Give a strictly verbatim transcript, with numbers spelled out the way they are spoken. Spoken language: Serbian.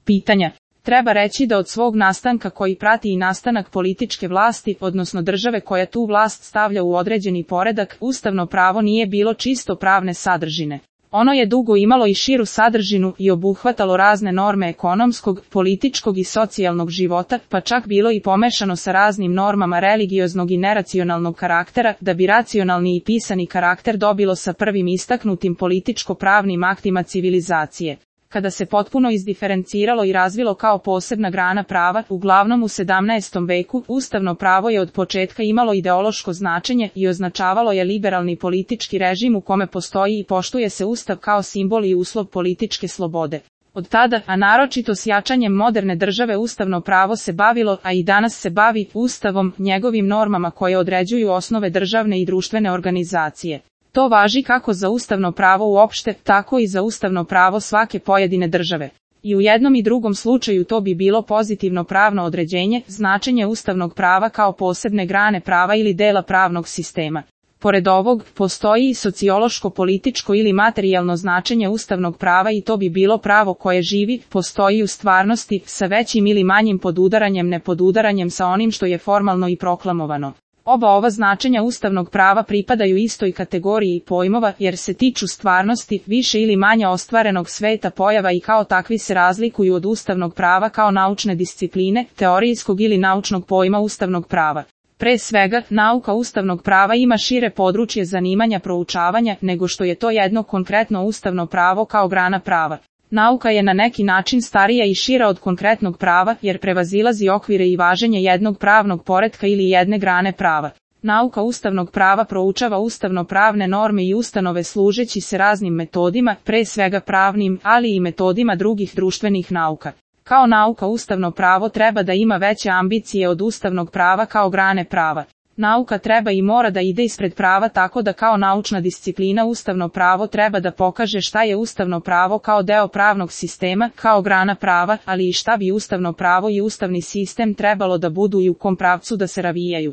pitanja. Treba reći da od svog nastanka koji prati i nastanak političke vlasti, odnosno države koja tu vlast stavlja u određeni poredak, ustavno pravo nije bilo čisto pravne sadržine. Ono je dugo imalo i širu sadržinu i obuhvatalo razne norme ekonomskog, političkog i socijalnog života, pa čak bilo i pomešano sa raznim normama religioznog i neracionalnog karaktera, da bi racionalni i pisani karakter dobilo sa prvim istaknutim političko-pravnim aktima civilizacije. Kada se potpuno izdiferenciralo i razvilo kao posebna grana prava, uglavnom u sedamnaestom veku, ustavno pravo je od početka imalo ideološko značenje i označavalo je liberalni politički režim u kome postoji i poštuje se ustav kao simbol i uslov političke slobode. Od tada, a naročito s jačanjem moderne države, ustavno pravo se bavilo, a i danas se bavi, ustavom, njegovim normama koje određuju osnove državne i društvene organizacije. To važi kako za ustavno pravo uopšte, tako i za ustavno pravo svake pojedine države. I u jednom i drugom slučaju to bi bilo pozitivno pravno određenje, značenje ustavnog prava kao posebne grane prava ili dela pravnog sistema. Pored ovog, postoji i sociološko-političko ili materijalno značenje ustavnog prava i to bi bilo pravo koje živi, postoji u stvarnosti, sa većim ili manjim podudaranjem nepodudaranjem sa onim što je formalno i proklamovano. Oba ova značenja ustavnog prava pripadaju istoj kategoriji pojmova jer se tiču stvarnosti, više ili manje ostvarenog sveta pojava i kao takvi se razlikuju od ustavnog prava kao naučne discipline, teorijskog ili naučnog pojma ustavnog prava. Pre svega, nauka ustavnog prava ima šire područje zanimanja proučavanja nego što je to jedno konkretno ustavno pravo kao grana prava. Nauka je na neki način starija i šira od konkretnog prava jer prevazilazi okvire i važenje jednog pravnog poretka ili jedne grane prava. Nauka ustavnog prava proučava ustavno-pravne norme i ustanove služeći se raznim metodima, pre svega pravnim, ali i metodima drugih društvenih nauka. Kao nauka ustavno pravo treba da ima veće ambicije od ustavnog prava kao grane prava. Nauka treba i mora da ide ispred prava tako da kao naučna disciplina ustavno pravo treba da pokaže šta je ustavno pravo kao deo pravnog sistema, kao grana prava, ali i šta bi ustavno pravo i ustavni sistem trebalo da budu i u kom pravcu da se razvijaju.